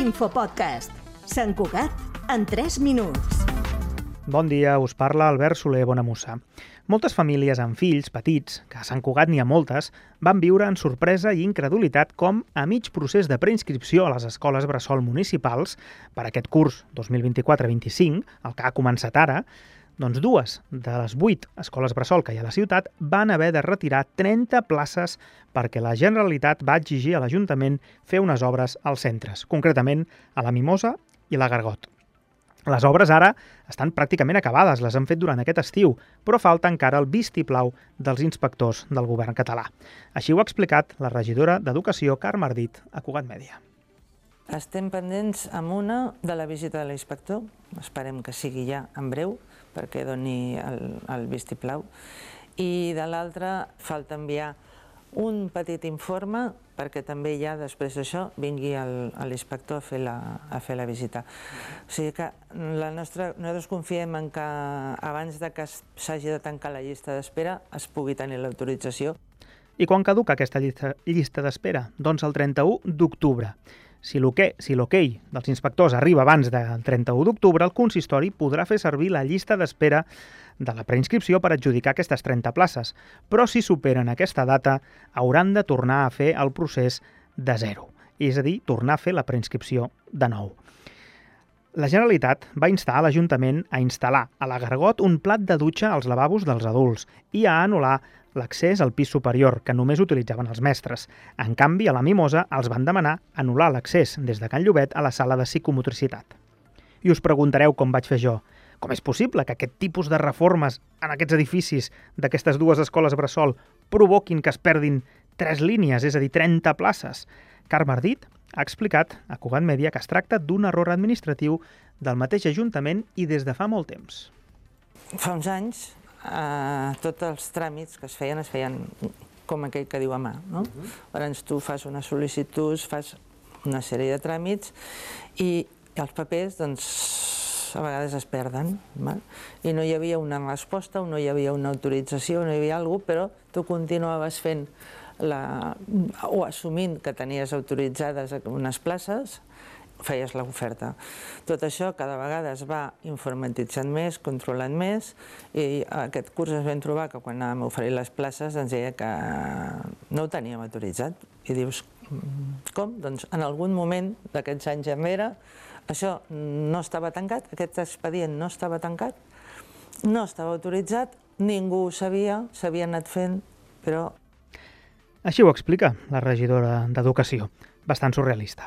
Infopodcast. Sant Cugat en 3 minuts. Bon dia, us parla Albert Soler Bonamussa. Moltes famílies amb fills petits, que a Sant Cugat n'hi ha moltes, van viure en sorpresa i incredulitat com, a mig procés de preinscripció a les escoles bressol municipals per aquest curs 2024-25, el que ha començat ara, doncs 2 de les 8 escoles bressol que hi ha a la ciutat van haver de retirar 30 places perquè la Generalitat va exigir a l'Ajuntament fer unes obres als centres, concretament a la Mimosa i la Gargot. Les obres ara estan pràcticament acabades, les han fet durant aquest estiu, però falta encara el vistiplau dels inspectors del govern català. Així ho ha explicat la regidora d'Educació, Carme Ardit, a Cugat Mèdia. Estem pendents amb una de la visita de l'inspector, esperem que sigui ja en breu, perquè doni el vistiplau, i de l'altra falta enviar un petit informe perquè també ja després d'això vingui l'inspector a fer la visita. O sigui que nosaltres confiem en que abans que s'hagi de tancar la llista d'espera es pugui tenir l'autorització. I quan caduca aquesta llista d'espera? Doncs el 31 d'octubre. Si l'okei dels inspectors arriba abans del 31 d'octubre, el consistori podrà fer servir la llista d'espera de la preinscripció per adjudicar aquestes 30 places, però si superen aquesta data hauran de tornar a fer el procés de zero, és a dir, tornar a fer la preinscripció de nou. La Generalitat va instar a l'Ajuntament a instal·lar a la Gargot un plat de dutxa als lavabos dels adults i a anul·lar l'accés al pis superior, que només utilitzaven els mestres. En canvi, a la Mimosa els van demanar anul·lar l'accés des de Can Llobet a la sala de psicomotricitat. I us preguntareu com vaig fer jo. Com és possible que aquest tipus de reformes en aquests edificis d'aquestes 2 escoles bressol provoquin que es perdin 3 línies, és a dir, 30 places? Carme Ardit ha explicat a Cugat Mèdia que es tracta d'un error administratiu del mateix Ajuntament i des de fa molt temps. Fa uns anys, tots els tràmits que es feien com aquell que diu a mà. Llavors tu fas una sol·licitud, fas una sèrie de tràmits i els papers a vegades es perden. I no hi havia una resposta, no hi havia una autorització, no hi havia alguna cosa, però tu continuaves fent o assumint que tenies autoritzades unes places, feies l'oferta. Tot això cada vegada es va informatitzant més, controlant més, i aquest curs ens vam trobar que quan anàvem a oferir les places ens deia que no ho teníem autoritzat. I dius, com? Doncs en algun moment d'aquests anys enrere això no estava tancat, aquest expedient no estava tancat, no estava autoritzat, ningú ho sabia, s'havia anat fent, però... Així ho explica la regidora d'Educació, bastant surrealista.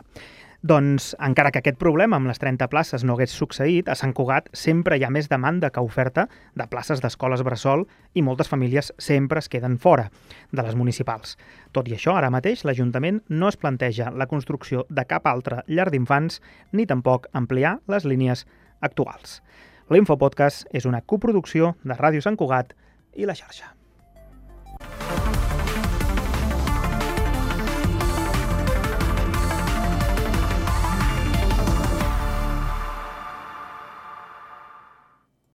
Doncs, encara que aquest problema amb les 30 places no hagués succeït, a Sant Cugat sempre hi ha més demanda que oferta de places d'escoles bressol i moltes famílies sempre es queden fora de les municipals. Tot i això, ara mateix l'Ajuntament no es planteja la construcció de cap altra llar d'infants ni tampoc ampliar les línies actuals. L'Infopodcast és una coproducció de Ràdio Sant Cugat i La Xarxa.